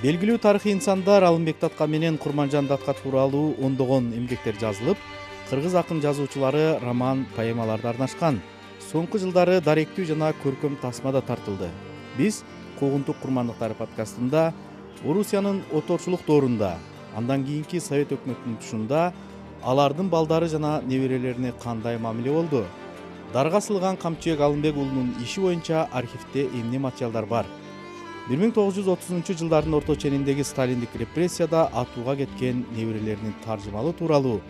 Белгилүү тарыхый инсандар Алымбек Датка менен Курманжан Датка тууралуу ондогон эмгектер жазылып, кыргыз акын жазуучулары роман, поэмаларды арнашкан. Соңку жылдары даректүү жана көркөм тасма да тартылды. Биз Куугунтук курмандыктары подкастында Орусиянын оторчулук доорунда, андан кийинки Совет өкмөтүнүн тушунда алардын балдары жана неберелерине кандай мамиле болду? Дарга асылган Камчыбек Алымбек уулунун иши боюнча архивде эмне материалдар бар? 1930-жылдардын орто чениндеги сталиндик репрессияда атууга кеткен неберелеринин таржымалы тууралуу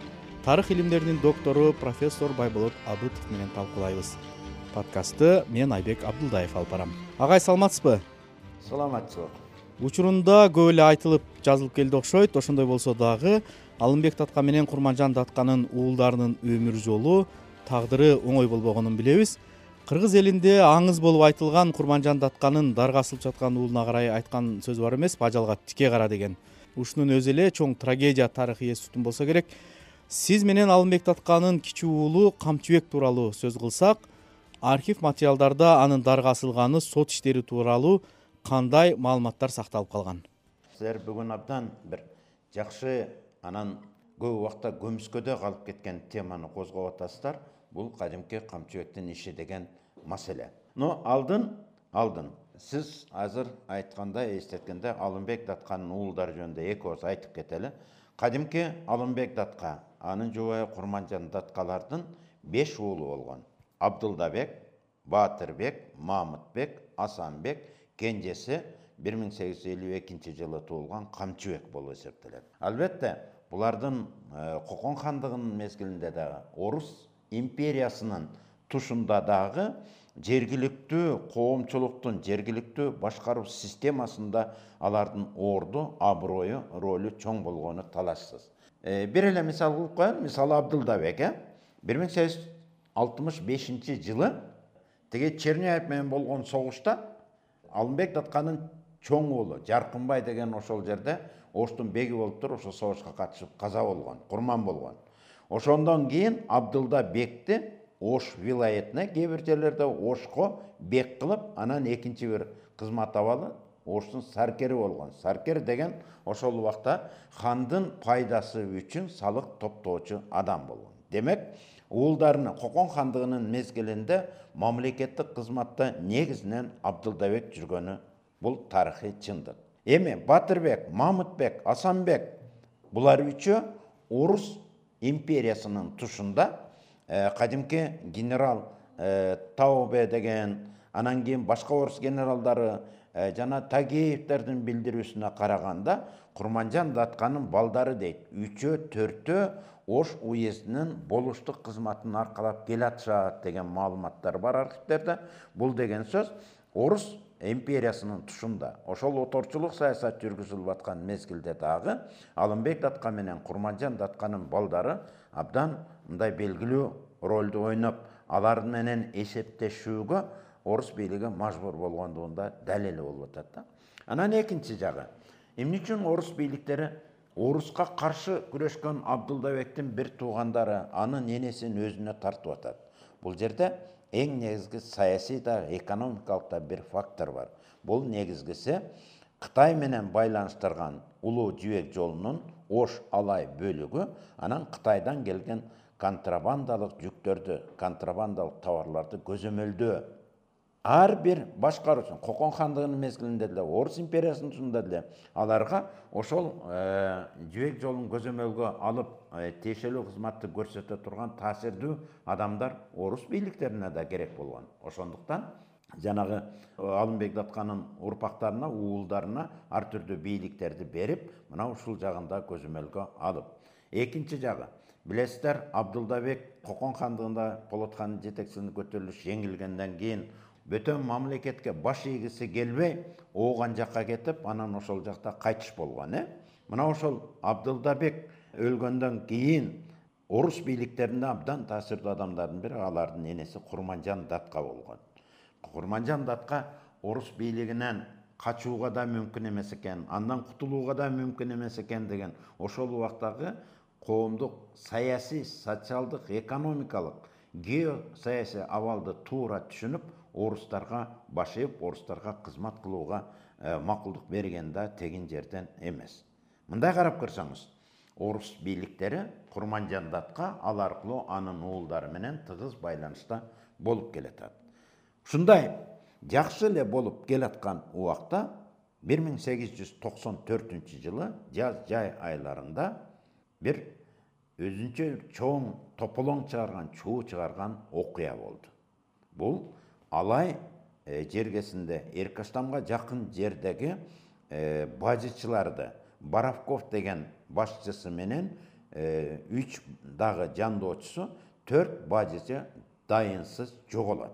тарых илимдеринин доктору профессор Байболот Абытов менен талкуулайбыз. Подкастты мен Айбек Абдулдаев алып барам. Агай, саламатсызбы? Саламатсызбы. Учурунда көп эле айтылып, жазылып келди окшойт. Ошондой болсо дагы Алымбек Датка менен Курманжан Датканын уулдарынын өмүр жолу, тагдыры оңой болбогонун билебиз. Кыргыз элинде аңыз болуп айтылган Курманжан Датканын дарга асылып жаткан уулуна карай айткан сөз бар эмеспи? Ажалга тике кара деген. Ушунун өзү эле чоң трагедия тарыхый эс тутум болсо керек. Сиз менен Алымбек Датканын кичүү уулу Камчыбек тууралуу сөз кылсак, архив материалдарда анын дарга асылганы, сот иштери тууралуу кандай маалыматтар сакталып калган? Силер бүгүн абдан бир жакшы, анан көп убакта көмүскөдө калып кеткен теманы козгоп атасыздар. Бул кадимки Камчыбектин иши деген маселе. Но алдын сиз азыр айткандай, эстеткенде Алымбек Датканын уулдары жөнүндө эки ооз айтып кетели. Кадимки Алымбек Датка, анын жубайы Курманжан Даткалардын 5 уулу болгон. Абдылдабек, Баатырбек, Мамытбек, Асанбек, кенжеси 1852-жылы туулган Камчыбек болуп эсептелет. Албетте, булардын Кокон хандыгынын мезгилинде дагы Орус империясынын тушунда дагы жергиликтүү коомчулуктун, жергиликтүү башкаруу системасында алардын орду, аброю, ролу чоң болгону талашсыз. Бир эле мисал кылып коеюн. Мисалы Абдылдабек 1865-жылы тиги Черняев менен болгон согушта Алымбек Датканын чоң уулу Жаркынбай деген ошол жерде Оштун беги болуп туруп ошо согушка катышып каза болгон, курман болгон. Ошондон кийин Абдылдабекти Ош вилаятына, кээ бир жерлерде Ошко бек кылып, анан экинчи бир кызмат абалы Оштун саркери болгон. Саркер деген ошол убакта хандын пайдасы үчүн салык топтоочу адам болгон. Демек, уулдарына Кокон хандыгынын мезгилинде мамлекеттик кызматта негизинен Абдылдабек жүргөнү бул тарыхый чындык. Эми Батырбек, Мамытбек, Асанбек булар үчөө Орус империясынын тушунда кадимки генерал Таубе деген, анан кийин башка орус генералдары жана Тагеевтердин билдирүүсүнө караганда Курманжан Датканын балдары дейт 3-4 Ош уездинин болуштук кызматын аркалап келатышат деген маалыматтар бар архивтерде. Бул деген сөз Орус империясынын тушунда ошол оторчулук саясат жүргүзүлүп аткан мезгилде дагы Алымбек Датка менен Курманжан Датканын балдары абдан мындай белгилүү ролду ойноп, алар менен эсептешүүгө орус бийлиги мажбур болгондугунда далили болуп атат да. Анан экинчи жагы, эмне үчүн орус бийликтери Оруска каршы күрөшкөн Абдылдабектин бир туугандары анын энесин өзүнө тартып атат? Бул жерде эң негизги саясий да, экономикалык да бир фактор бар. Бул негизгиси Кытай менен байланыштырган Улуу Жибек жолунун Ош Алай бөлүгү, анан Кытайдан келген контрабандалык жүктөрдү, контрабандалык товарларды көзөмөлдөө. Ар бир башкаруучу Кокон хандыгынын мезгилинде деле, Орус империясынын тушунда деле аларга ошол Жибек жолун көзөмөлгө алып, тиешелүү кызматты көрсөтө турган таасирдүү адамдар орус бийликтерине да керек болгон. Ошондуктан жанагы Алымбек Датканын урпактарына, уулдарына ар түрдүү бийликтерди берип, мына ушул жагында көзөмөлгө алып. Экинчи жагы, билесиздер, Абдылдабек Кокон хандыгында Полот хандын жетекчилигинде көтөрүлүш жеңилгенден кийин бөтөн мамлекетке баш ийгиси келбей, ооган жакка кетип, анан ошол жакта кайтыш болгон. Мына ошол Абдылдабек өлгөндөн кийин орус бийликтеринде абдан таасирдүү адамдардын бири алардын энеси Курманжан Датка болгон. Курманжан Датка орус бийлигинен качууга да мүмкүн эмес экен, андан кутулууга да мүмкүн эмес экен деген ошол убактагы коомдук саясий, социалдык, экономикалык, геосаясий абалды туура түшүнүп, орустарга баш ийип, орустарга кызмат кылууга макулдук берген да тегин жерден эмес. Мындай карап көрсөңүз, орус бийликтери Курманжан датка ал аркылуу анын уулдары менен тыгыз байланышта болуп келатат. Ушундай жакшы эле болуп келаткан убакта 1894-жылы жаз-жай айларында бир өзүнчө чоң тополоң чыгарган окуя болду. Бул Алай жергесинде Эркаштамга жакын жердеги бажычыларды Боровков деген башчысы менен 3 дагы жандоочусу 4 бажычы дайынсыз жоголот.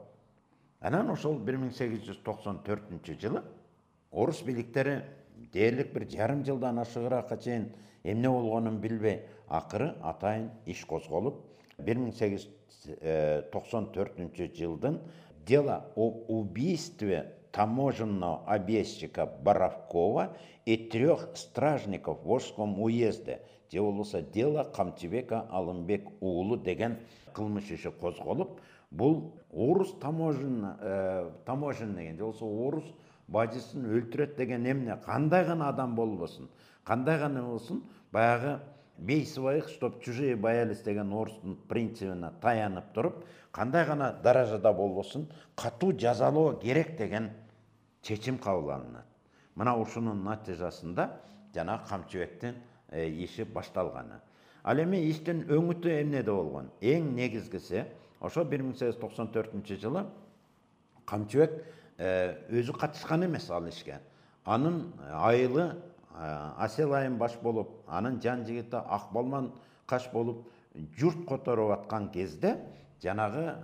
Анан ошол 1894-жылы орус бийликтери дээрлик бир жарым жылдан ашыгыраакка чейин эмне болгонун билбей, акыры атайын иш козголуп, 1894-жылдын дело об убийстве таможенного объездчика Боровкова и 3 стражников в Волжском уезде, же болбосо дело Камчыбека Алымбек уулу деген кылмыш иши козголуп, бул орус таможен деген, же болбосо орус бажысын өлтүрөт деген эмне, кандай гана адам болбосун, кандай гана болсун, баягы бей своих, чтоб чужие боялись деген орустун принцибине таянып туруп, кандай гана даражада болбосун, катуу жазалоо керек деген чечим кабыл алынат. Мына ушунун натыйжасында жана Камчыбектин иши башталганы. Ал эми иштин өңүтү эмнеде болгон? Эң негизгиси ошо 1894-жылы Камчыбек өзү катышкан эмес ал ишке. Анын айылы Асел айым баш болуп, анын жан жигити Акбалман каш болуп журт которуп аткан кезде жанагы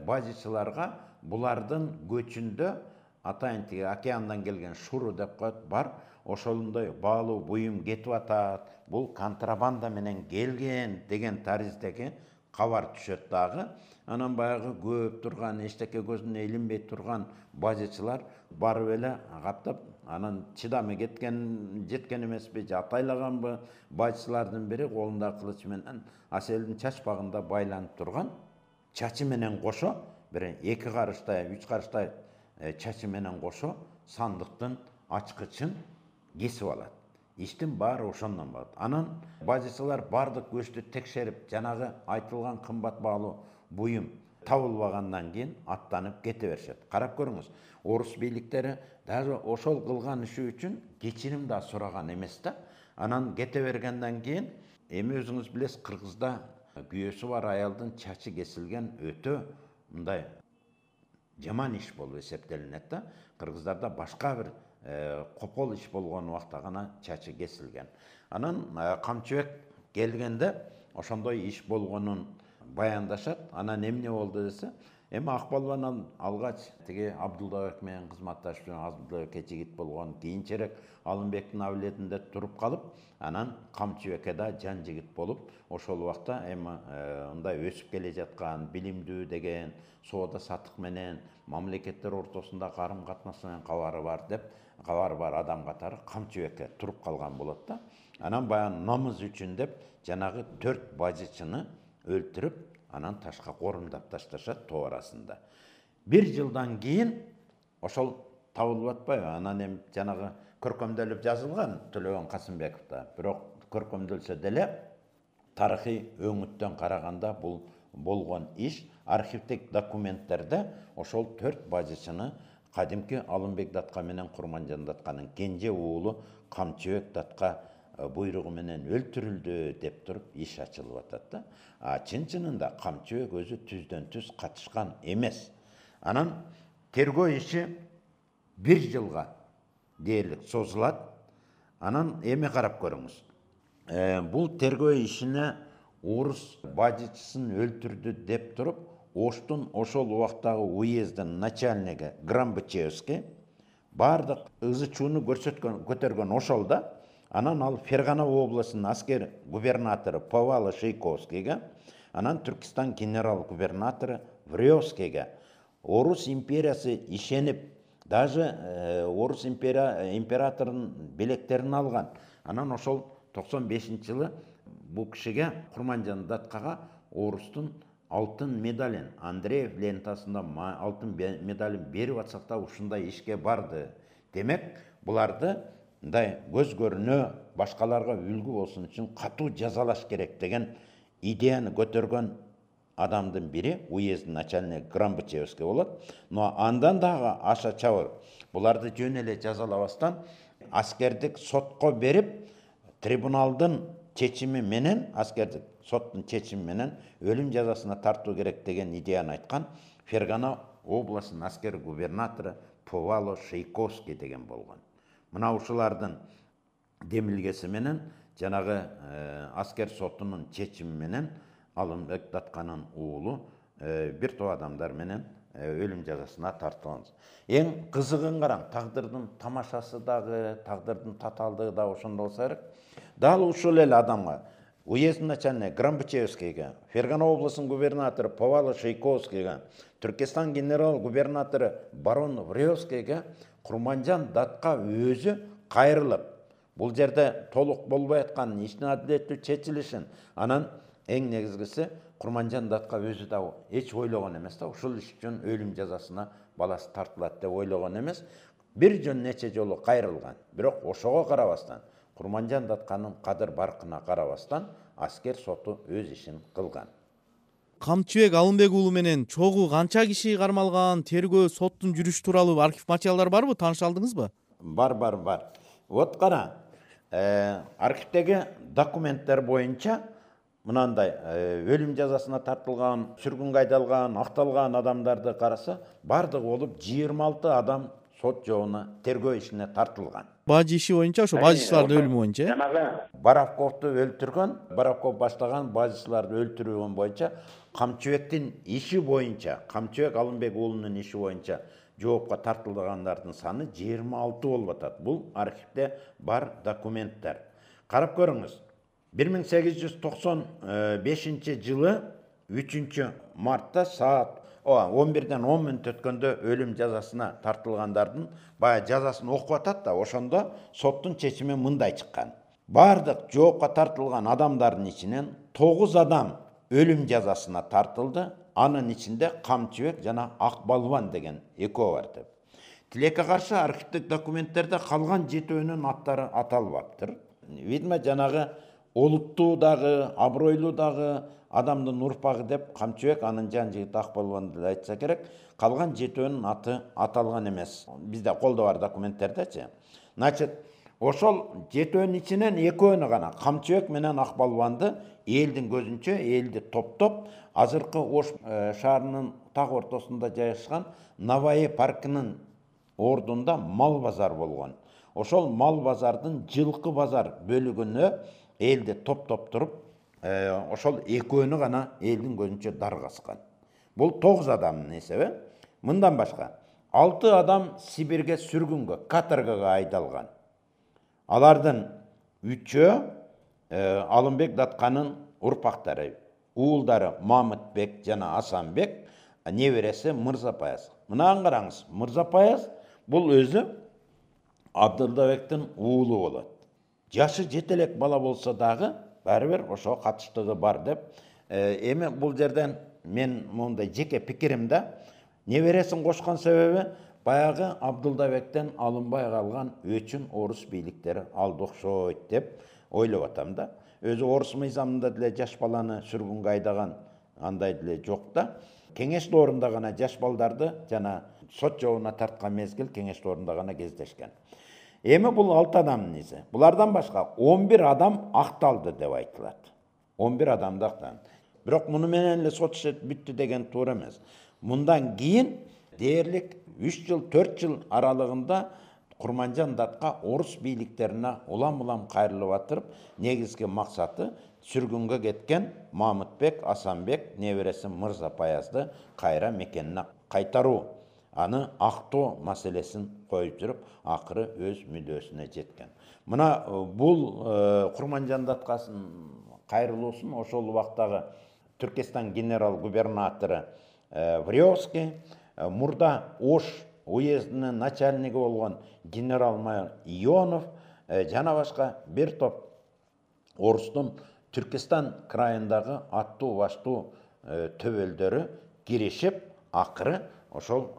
бажычыларга булардын көчүндө атайын тиги океандан келген шуру деп коет бар, ошондой баалуу буюм кетип атат, бул контрабанда менен келген деген тариздеги кабар түшөт дагы. Анан баягы көп турган, эчтеке көзүнө илинбей турган бажычылар барып эле каттап, анан чыдамы жеткен эмеспи, же атайлаганбы, бажычылардын бири колунда кылыч менен Аселдин чачпагында байланып турган чачы менен кошо, бир 2 карыштай, 3 карыштай чачы менен кошо сандыктын ачкычын кесип алат. Иштин баары ошондон болот. Анан бажычылар бардык көчтү текшерип, жанагы айтылган кымбат баалуу буюм табылбагандан кийин аттанып кете беришет. Карап көрүңүз, орус бийликтери даже ошол кылган иши үчүн кечирим да сураган эмес да. Анан кете бергенден кийин, эми өзүңүз билесиз, Кыргызда күйөөсү бар аялдын чачы кесилген өтө мындай жаман иш болуп эсептелинет да. Кыргыздарда башка бир копол иш болгон убакта гана чачы кесилген. Анан Камчыбек келгенде ошондой иш болгонун баяндашат. Анан эмне болду десе, эми Акбалбан алгач тиги Абдуллабек менен кызматташып жүргөн, Абдуллабекке жигит болгон, кийинчерээк Алымбектин абилетинде туруп калып, анан Камчыбекке да жан жигит болуп, ошол убакта эми мындай өсүп келе жаткан, билимдүү деген, соода саттык менен мамлекеттер ортосунда карым катнаш менен кабары бар адам катары Камчыбекке туруп калган болот да. Анан баягы намыз үчүн деп жанагы 4 бажычыны өлтүрүп, анан ташка корумдап ташташат тоо арасында. 1 жылдан кийин ошол табылып атпайбы? Анан эми жанагы көркөмдөлүп жазылган Төлөгөн Касымбековда. Бирок көркөмдөлсө деле тарыхый өңүттөн караганда бул болгон иш архивдик документтерде ошол 4 бажычыны кадимки Алымбек датка менен Курманжан датканын кенже уулу Камчыбек датка буйругу менен өлтүрүлдү деп туруп иш ачылып атат да. Чын-чынында Камчыбек өзү түздөн түз катышкан эмес. Анан тергөө иши 1 жылга дээрлик созулат. Анан эми карап көрүңүз. Бул тергөө ишине орус бажычысын өлтүрдү деп туруп, Оштун ошол убактагы уездин начальниги Грамбычевский бардык ызы чууну көтөргөн ошол да. Анан ал Фергана областынын аскер губернатору Павла Шейковскийге, анан Түркистан генерал-губернатору Врёвскийге орус империясы ишенип, даже орус императорунун билектерин алган. Анан ошол 95-жылы бул кишиге Курманжан даткага орустун алтын медалин, Андреев лентасында алтын медалин берип атсак да ушундай ишке барды. Демек, буларды мындай көз көрүнө башкаларга үлгү болсун үчүн катуу жазалаш керек деген идеяны көтөргөн адамдын бири уездин начальниги Грамбачевский болот. Но андан дагы аша чабы буларды жөн эле жазалабастан аскердик сотко берип, трибуналдын чечими менен, аскердик соттун чечими менен өлүм жазасына тартуу керек деген идеяны айткан Фергана областынын аскер губернатору Повало Шейковский деген болгон. Мына ушулардын демилгеси менен жанагы аскер сотунун чечими менен Алымбек Датканын уулу бир топ адамдар менен өлүм жазасына тартылган. Эң кызыгын караң, тагдырдын тамашасы дагы, тагдырдын татаалдыгы да ошондо болсо керек. Дал ушул эле адамга, уездин начальниги Грамбачевскийге, Фергана областынын губернатору Повало Шейковскийге, Түркестан генерал-губернатору барон Вревскийге Курманжан Датка өзү кайрылып, бул жерде толук болбой аткан иштин адилеттүү чечилишин, анан эң негизгиси Курманжан Датка өзү да эч ойлогон эмес да, ушул иш үчүн өлүм жазасына баласы тартылат деп ойлогон эмес. Бир жөн нече жолу кайрылган. Бирок ошого карабастан, Курманжан Датканын кадыр баркына карабастан аскер соту өз ишин кылган. Камчыбек Алымбек уулу менен чогуу канча киши кармалган, тергөө, соттун жүрүшү тууралуу архив материалдар барбы? Тааныша алдыңызбы? Бар. Вот кара, архивдеги документтер боюнча мынандай өлүм жазасына тартылган, сүргүнгө айдалган, акталган адамдарды караса, бардыгы болуп 26 адам сот жобуна тергөө ишине тартылган. Бажы иши боюнча, ошо бажычылардын өлүмү боюнча. Жанагы Боровковду өлтүргөн, Боровков баштаган бажычыларды өлтүрүүгө боюнча Камчыбектин иши боюнча, Камчыбек Алымбек уулунун иши боюнча жоопко тартылгандардын саны 26 болуп атат. Бул архивде бар документтер. Карап көрүңүз. 1895 жылы 3 мартта саат 11-ден 10 мүнөт өткөндө өлүм жазасына тартылгандардын бая жазасын окуп атат да, ошондо соттун чечими мындай чыккан. Бардык жоопко тартылган адамдардын ичинен 9 адам өлүм жазасына тартылды. Анын ичинде Камчыбек жана Акбалбан деген экөө бар деп. Тилекке каршы архивдик документтерде калган 7өөнүн аттары аталбаптыр. Видимо, жанагы олуттуу дагы, абройлуу дагы адамдын урпагы деп Камчыбек, анын жан жигити Акбалбанды да айтса керек, калган 7өөнүн аты аталган эмес. Бизде колдо бар документтердечи. Значит, ошол 7өөнүн ичинен 2өөнү гана, Камчыбек менен Акбалбанды элдин көзүнчө, элди топтоп, азыркы Ош шаарынын так ортосунда жайгашкан Наваи паркынын ордунда мал базар болгон. Ошол мал базардын жылкы базар бөлүгүнө элди топтоп туруп, ошол 2өөнү гана элдин көзүнчө даргаскан. Бул 9 адамдын эсеби. Мындан башка 6 адам Сибирге сүргүнгө, каторгага айдалган. Алардын 3-өө Алымбек Датканын урпактары, уулдары Мамытбек жана Асанбек, небереси Мырзапаяз. Мынаны караңыз, Мырзапаяз бул өзү Абдылдабектин уулу болот. Жашы жетелек бала болсо дагы, баары бир ошо катыштыгы бар деп. Эми бул жерден мен мондай жеке пикиримде, небересин кошкон себеби баягы Абдылдабектен алынбай калган өчүн орус бийликтери алды окшойт деп ойлоп атам да. Өзү орус мыйзамында деле жаш баланы сүргүнгө айдаган андай деле жок да. Кеңеш доорунда гана жаш балдарды жана сот жобуна тарткан мезгил кеңеш доорунда гана кездешкен. Эми бул 6 адамдын изи. Булардан башка 11 адам акталды деп айтылат. 11 адамды акталды. Бирок муну менен эле сот иши бүттү деген туура эмес. Мындан кийин дээрлик 3 жыл, 4 жыл аралыгында Курманжан Датка орус бийликтерине улам-улам кайрылып атырып, негизги максаты сүргүнгө кеткен Мамытбек, Асанбек, небереси Мырзапаязды кайра мекенине кайтаруу, аны актоо маселесин коюп жүрүп, акыры өз мүдөөсүнө жеткен. Мына бул Курманжан Даткасын кайрылуусун ошол убактагы Түркестан генерал-губернатору Вревский, мурда Ош уездинин начальниги болгон генерал-майор Ионов жана башка бир топ орустун Түркестан крайындагы аттуу баштуу төбөлдөрү киришип, акыры ошол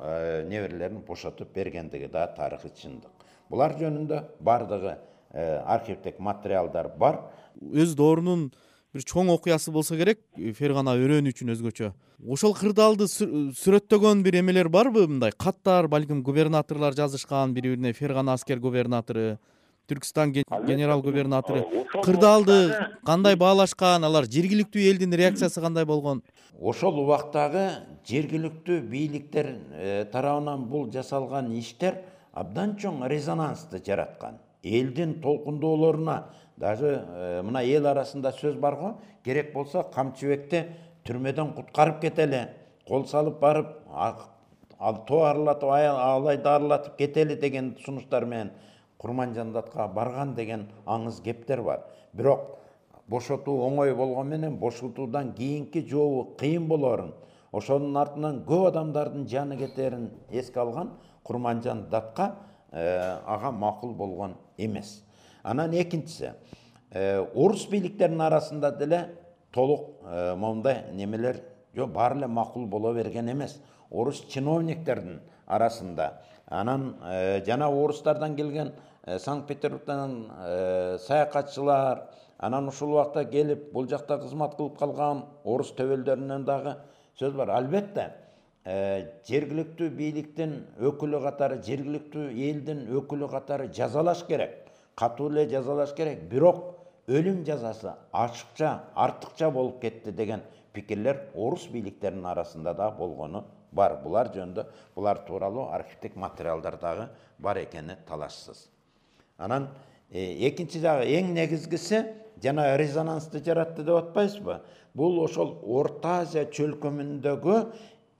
неберелерин бошотуп бергендиги да тарыхый чындык. Булар жөнүндө бардыгы архивдик материалдар бар. Өз доорунун бир чоң окуясы болсо керек, Фергана өрөөнү үчүн өзгөчө. Ошол кырдаалды сүрөттөгөн бир эмелер барбы? Мындай каттар, балким губернаторлор жазышкан бири-бирине, Фергана аскер губернатору, Түркстан генерал губернатору кырдаалды кандай баалашкан, алар жергиликтүү элдин реакциясы кандай болгон? Ошол убактагы жергиликтүү бийликтер тарабынан бул жасалган иштер абдан чоң резонансты жараткан. Элдин толкундоолоруна даже мына эл арасында сөз бар го, керек болсо Камчыбекти түрмөдөн куткарып кетели, кол салып барып тоо арылатып, алайды арылатып кетели деген сунуштар менен Курманжан Датка барган деген аңыз кептер бар. Бирок бошотуу оңой болгон менен бошотуудан кийинки жообу кыйын болорун, ошонун артынан көп адамдардын жаны кетерин эске алган Курманжан Датка ага макул болгон эмес. Анан экинчиси, орус бийликтеринин арасында деле толук мондай немелер баары эле макул боло берген эмес. Орус чиновниктердин арасында, анан жана орустардан келген Санкт-Петербургдан саякатчылар, анан ушул убакта келип бул жакта кызмат кылып калган орус төбөлдөрүнөн дагы сөз бар. Албетте, жергиликтүү бийликтин өкүлү катары, жергиликтүү элдин өкүлү катары жазалаш керек, катуу эле жазалаш керек. Бирок өлүм жазасы ачыкча, артыкча болуп кетти деген пикирлер орус бийликтеринин арасында да болгону бар. Булар жөнүндө, булар тууралуу архивдик материалдар дагы бар экени талашсыз. Анан экинчи жагы эң негизгиси жана резонансты жаратты деп атпайсызбы? Бул ошол Орто Азия чөлкөмүндөгү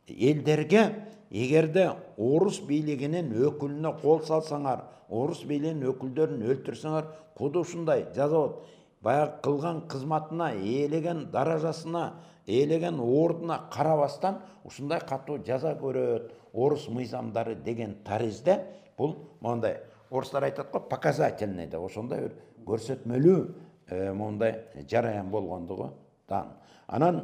элдерге эгерде орус бийлигинин өкүлүнө кол салсаңар, орус бийлигинин өкүлдөрүн өлтүрсөңөр, куду ушундай жаза болот. Баягы кылган кызматына, ээлеген даражасына, ээлеген ордуна карабастан ушундай катуу жаза көрөт орус мыйзамдары деген таризде бул мондай орустар айтат го, показательный деп, ошондой бир көрсөтмөлүү мондай жараян болгондугу дан. Анан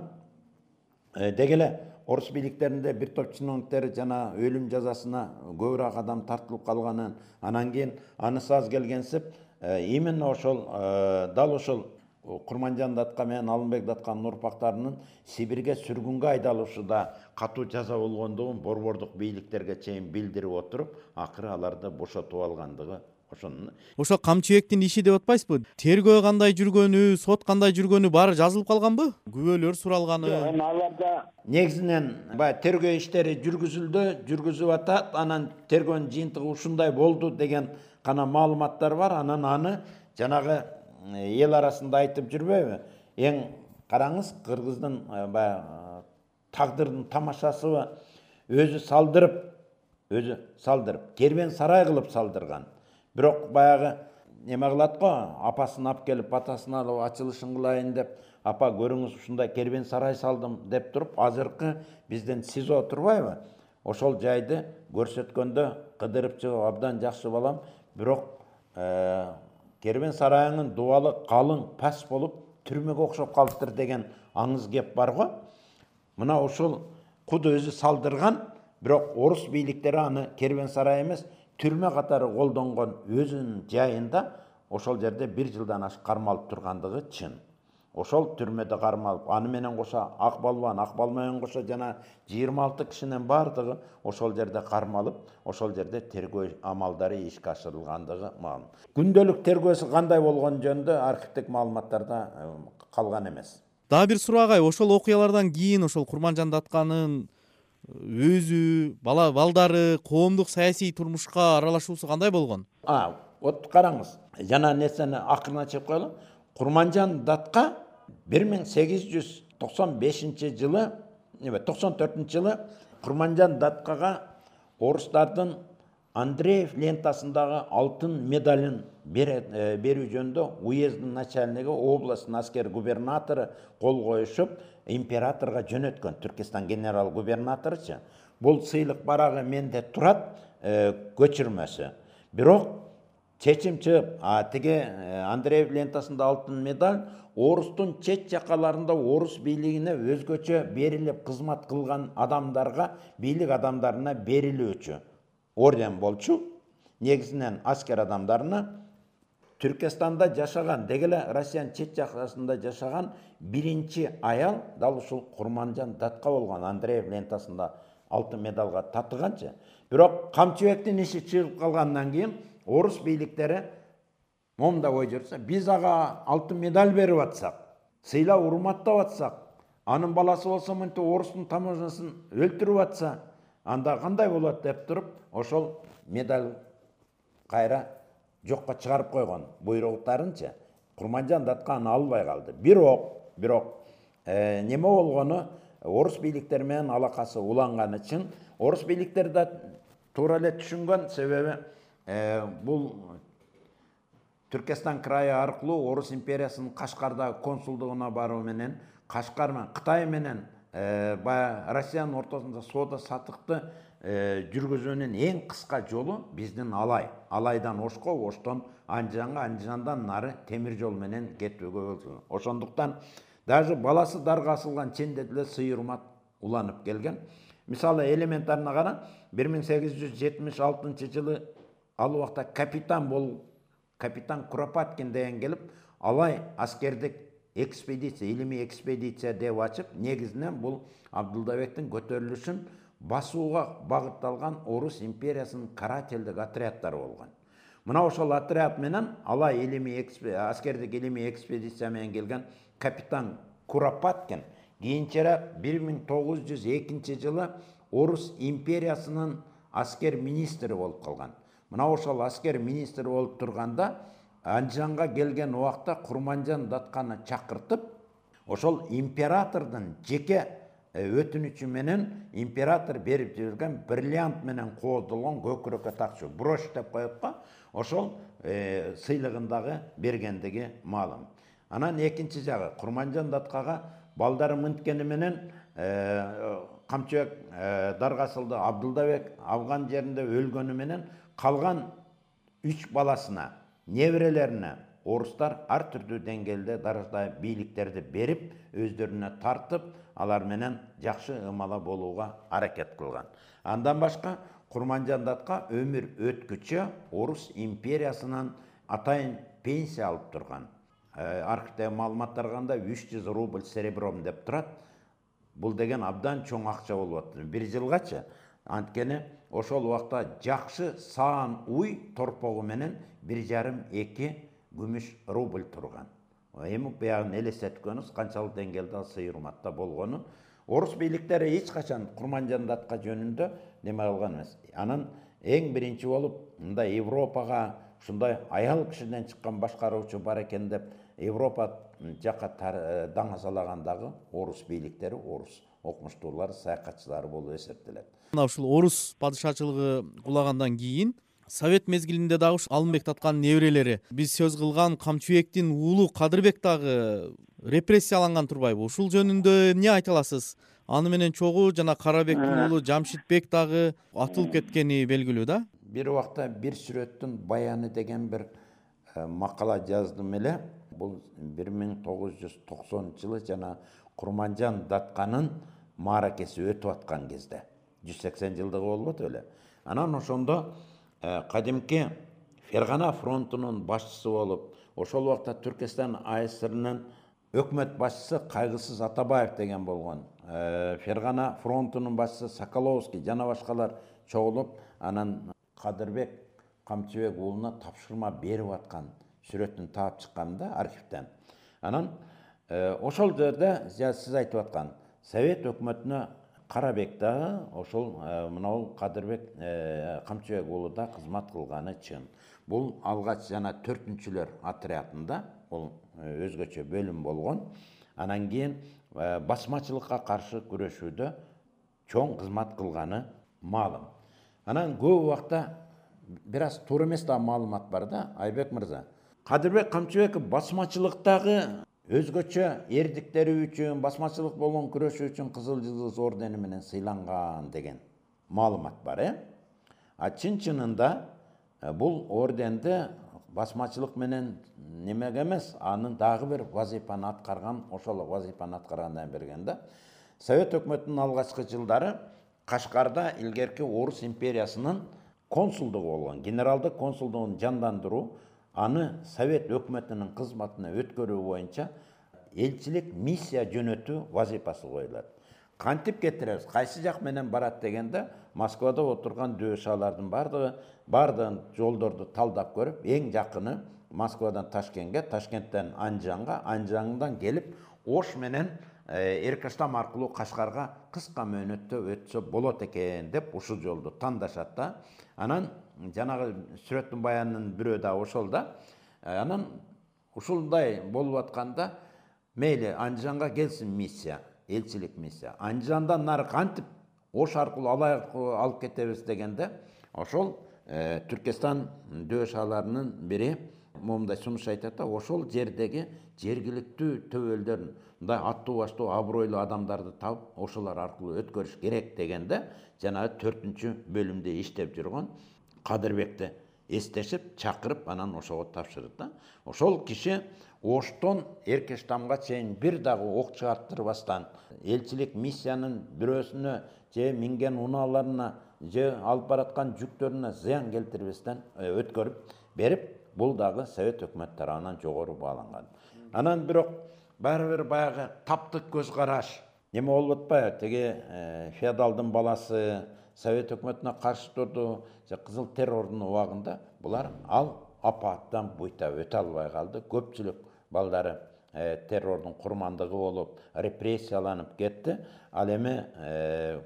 дегеле орус бийликтеринде бир топ чиновниктер жана өлүм жазасына көбүрөөк адам тартылып калганын, анан кийин анысы аз келгенсип именно ошол дал ошол Курманжан Датка менен Алымбек Датканын урпактарынын Сибирге сүргүнгө айдалышында катуу жаза болгондугун борбордук бийликтерге чейин билдирип отуруп, акыры аларды бошотуп алгандыгы ошонун. Ошо Камчыбектин иши деп атпайсызбы? Тергөө кандай жүргөнү, сот кандай жүргөнү баары жазылып калганбы? Күбөлөр суралганы. Аларда негизинен баягы тергөө иштери жүргүзүлдү, жүргүзүп атат. Анан тергөөнүн жыйынтыгы ушундай болду деген гана маалыматтар бар. Анан аны жанагы эл арасында айтып жүрбөйбү? Эң караңыз, кыргыздын баягы тагдырдын тамашасыбы өзү салдырып, кербен сарай кылып салдырган. Бирок баягы неме кылат го, апасын алып келип, атасын алып ачылышын кылайын деп, апа көрүңүз ушундай кербен сарай салдым деп туруп, азыркы бизден СИЗО турбайбы? Ошол жайды көрсөткөндө кыдырып чыгып, абдан жакшы балам, бирок кербен сарайыңын дубалы калың, пас болуп, түрмөгө окшоп калыптыр деген аңыз кеп бар го. Мына ошол куду өзү салдырган, бирок орус бийликтери аны кербен сарай эмес, түрмө катары колдонгон өзүнүн жайында ошол жерде 1 жылдан ашык кармалып тургандыгы чын. Ошол түрмөдө кармалып, аны менен кошо Акбалбан менен кошо жана 26 кишинин бардыгы ошол жерде кармалып, ошол жерде тергөө амалдары ишке ашырылгандыгы маалым. Күндөлүк тергөөсү кандай болгон жөнүндө архивдик маалыматтарда калган эмес. Дагы бир суроо агай, ошол окуялардан кийин ошол Курманжан Датканын өзү, балдары коомдук саясий турмушка аралашуусу кандай болгон? Вот караңыз, жана нерсени акырына чыгып коелу. Курманжан Датка 1895 жылы, 94 жылы Курманжан Даткага орустардын Андреев лентасындагы алтын медалын берүү жөнүндө уездин начальниги, областын аскер губернатору кол коюшуп, императорго жөнөткөн, Түркистан генерал губернаторучу. Бул сыйлык барагы менде турат, көчүрмөсү. Бирок чечим чыгып, тиги Андреев лентасында алтын медаль орустун чет жакаларында орус бийлигине өзгөчө берилип кызмат кылган адамдарга, бийлик адамдарына берилүүчү орден болчу. негизинен аскер адамдарына Түркістанда жашаган, деги эле Россиянын чет жакасында жашаган биринчи аял дал ушул Курманжан Датка болгон. Андреев лентасында алтын медалга татыганчы. Бирок Камчыбектин иши чыгып калгандан кийин орус бийликтери момундай ой жүрсө, биз ага алтын медаль берип атсак, сыйлап урматтап атсак, анын баласы болсо мынтип орустун таможнясын өлтүрүп атса, анда кандай болот деп туруп, ошол медаль кайра жокко чыгарып койгон буйруктарынчы. Курманжан Датка аны албай калды. Бирок неме болгону, орус бийликтери менен алакасы уланган үчүн орус бийликтери да туура эле түшүнгөн, себеби бул Түркестан крайы аркылуу орус империясынын Кашкардагы консулдугуна баруу менен, Кашкар менен Кытай менен баягы Россиянын ортосунда соода сатыкты жүргүзүүнүн эң кыска жолу биздин Алайдан Ошко, Оштон Анжанга, Анжандан нары темир жол менен кетүүгө болду. Ошондуктан даже баласы дарга асылган ченде деле сый-урмат уланып келген. Мисалы элементарына кара, 1876 жылы ал убакта капитан Куропаткин деген келип, Алай аскердик экспедиция, илимий экспедиция деп ачып, негизинен бул Абдулдабектин көтөрүлүшүн басууга багытталган орус империясынын карательдик отряддары болгон. Мына ошол отряд менен Алай аскердик илимий экспедиция менен келген капитан Куропаткин кийинчерээк 1902 жылы орус империясынын аскер министри болуп калган. Мына ошол аскер министри болуп турганда Анжанга келген убакта Курманжан Датканы чакыртып, ошол императордун жеке өтүнүчү менен император берип жүргөн бриллиант менен кооздолгон көкүрөккө такчу брош деп коет го, ошол сыйлыгын дагы бергендиги маалым. Анан экинчи жагы Курманжан Даткага балдары мынткени менен Камчыбек даргасылды Абдулдабек алган жеринде өлгөнү менен калган 3 баласына, неберелерине орустар ар түрдүү деңгээлде даража бийликтерди берип, өздөрүнө тартып, алар менен жакшы ымала болууга аракет кылган. Андан башка Курманжан Датка өмүр өткүчө орус империясынан атайын пенсия алып турган. Архивдеги маалыматтарга караганда 300 рубль серебром деп турат. Бул деген абдан чоң акча болуп атты. 1 жылгачы. Анткени ошол убакта жакшы саан уй торпогу менен 1,5-2 күмүш рубль турган. Эми буягын элестеткөнүз канчалык деңгээлде сый-урматта болгонун. Орус бийликтери эч качан Курманжан Датка жөнүндө неме кылган эмес. Анан эң биринчи болуп мындай Европага ушундай аял кишиден чыккан башкаруучу бар экен деп Европа жакка даңазалагандагы орус бийликтери, орус окумуштуулар, саякатчылары болуп эсептелет. Мына ушул орус падышачылыгы кулагандан кийин Совет мезгилинде дагы Алымбек Татканын неберелери, биз сөз кылган Камчыбектин уулу Кадырбек дагы репрессияланган турбайбы? Ушул жөнүндө эмне айта аласыз? Аны менен чогуу жана Карабектин уулу Жамшитбек дагы атылып кеткени белгилүү да? Бир убакта бир сүрөттүн баяны деген бир макала жаздым эле. Бул 1990 жылы жана Курманжан Датканын мааракеси өтүп аткан кезде. 180 жылдыгы болбойт эле. Анан ошондо кадимки Фергана фронтунун башчысы болуп, ошол убакта Түркистан АСРнын өкмөт башчысы Кайгысыз Атабаев деген болгон. Фергана фронтунун башчысы Соколовский жана башкалар чогулуп, анан Кадырбек Камчыбек уулуна тапшырма берип аткан сүрөтүн таап чыкканда архивден. Анан ошол жерде сиз айтып аткан Совет өкмөтүнө Карабек дагы ошол мынау Кадырбек Камчыбек уулу да кызмат кылганы чын. Бул алгач жана 4-түлөр отрядында, бул өзгөчө бөлүм болгон. Анан кийин басмачылыкка каршы күрөшүүдө чоң кызмат кылганы маалым. Анан көп убакта бир аз туура эмес да маалымат бар да, Айбек мырза. Кадырбек Камчыбеков басмачылыктагы өзгөчө эрдиктери үчүн, басмачылык болгон күрөшүү үчүн Кызыл Жылдыз ордени менен сыйланган деген маалымат бар, А чын-чынында бул орденди басмачылык менен немеге эмес, анын дагы бир вазифаны аткарган, ошол вазифаны аткаргандан берген да. Совет өкмөтүнүн алгачкы жылдары Кашкарда илгерки орус империясынын консулдугу болгон. Генералдык консулдугун жандандыруу, аны совет өкмөтүнүн кызматына өткөрүү боюнча элчилик миссия жөнөтүү вазифасы коюлат. Кантип кетиребиз, кайсы жак менен барат дегенде, Москвада отурган дөшалардын бардыгын жолдорду талдап көрүп, эң жакыны Москвадан Ташкентке, Ташкенттен Анжанга, Анжандан келип Ош менен Эркаштам аркылуу Кашкарга кыска мөөнөттө өтсө болот экен деп ушул жолду тандашат да. Анан жанагы сүрөттүн баянынын бирөө да ошол да. Анан ушулдай болуп атканда мейли Анжанга келсин миссия, элчилик миссия. Анжандан нары кантип Ош аркылуу алып кетебиз дегенде, ошол Түркестан дөшаларынын бири момундай сунуш айтат да, ошол жердеги жергиликтүү төбөлдөрүн, мындай аттуу баштуу абройлуу адамдарды таап, ошолор аркылуу өткөрүш керек дегенде, жанагы 4-чү бөлүмдө иштеп жүргөн Кадырбекти эстешип, чакырып, анан ошого тапшырды да. Ошол киши Оштон Эркештамга чейин бир дагы ок чыгарттырбастан, элчилик миссиянын бирөөсүнө же минген унааларына, же алып бараткан жүктөрүнө зыян келтирбестен өткөрүп берип, бул дагы Совет өкмөтү тарабынан жогору бааланган. Анан бирок баары бир баягы таптык көз караш, неме болуп атпайбы, теге феодалдын баласы Совет өкмөтүнө каршы турду, же кызыл террордун убагында булар ал апааттан буйта өтө албай калды. Көпчүлүк балдары террордун курмандыгы болуп, репрессияланып кетти. Ал эми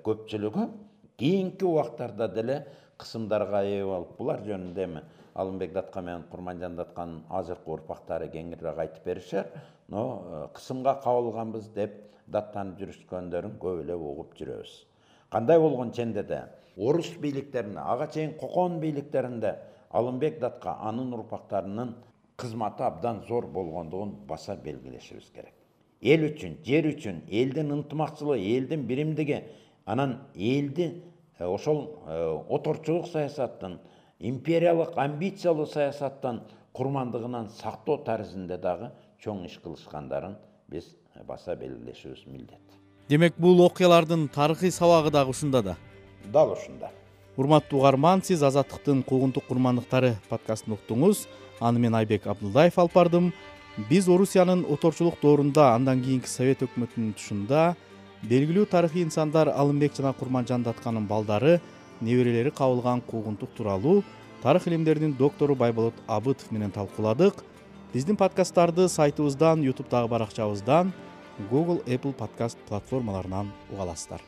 көпчүлүгү кийинки убактарда деле кысымдарга ээ болуп, булар жөнүндө эми Алымбек датка менен Курманжан датканын азыркы урпактары кеңирээк айтып беришер. Но кысымга кабылганбыз деп даттанып жүрүшкөндөрүн көп эле угуп жүрөбүз. Кандай болгон ченде де орус бийликтеринде, ага чейин кокон бийликтеринде Алымбек датка анын урпактарынын кызматы абдан зор болгондугун баса белгилешибиз керек. Эл үчүн, жер үчүн, элдин ынтымакчылыгы, элдин биримдиги, анан элди ошол оторчулук саясаттын, империялык амбициялуу саясаттан курмандыгынан сактоо тарзинде дагы чоң иш кылышкандарын биз баса белгилешибиз милдет. Демек, бул окуялардын тарыхый сабагы дагы ушунда да. Дал ушунда. Урматтуу угарман, сиз Азаттыктын куугунтук курмандыктары подкастын уктуңуз. Аны мен Айбек Абдулдаев алып бардым. Биз Орусиянын оторчулук доорунда, андан кийинки Совет өкмөтүнүн тушунда белгилүү тарыхый инсандар Алымбек жана Курманжан датканын балдары, неберелери кабылган куугунтук тууралуу тарых илимдеринин доктору Байболот Абытов менен талкууладык. Биздин подкасттарды сайтыбыздан, YouTube'дагы баракчабыздан, Google, Apple подкаст платформаларынан уга аласыздар.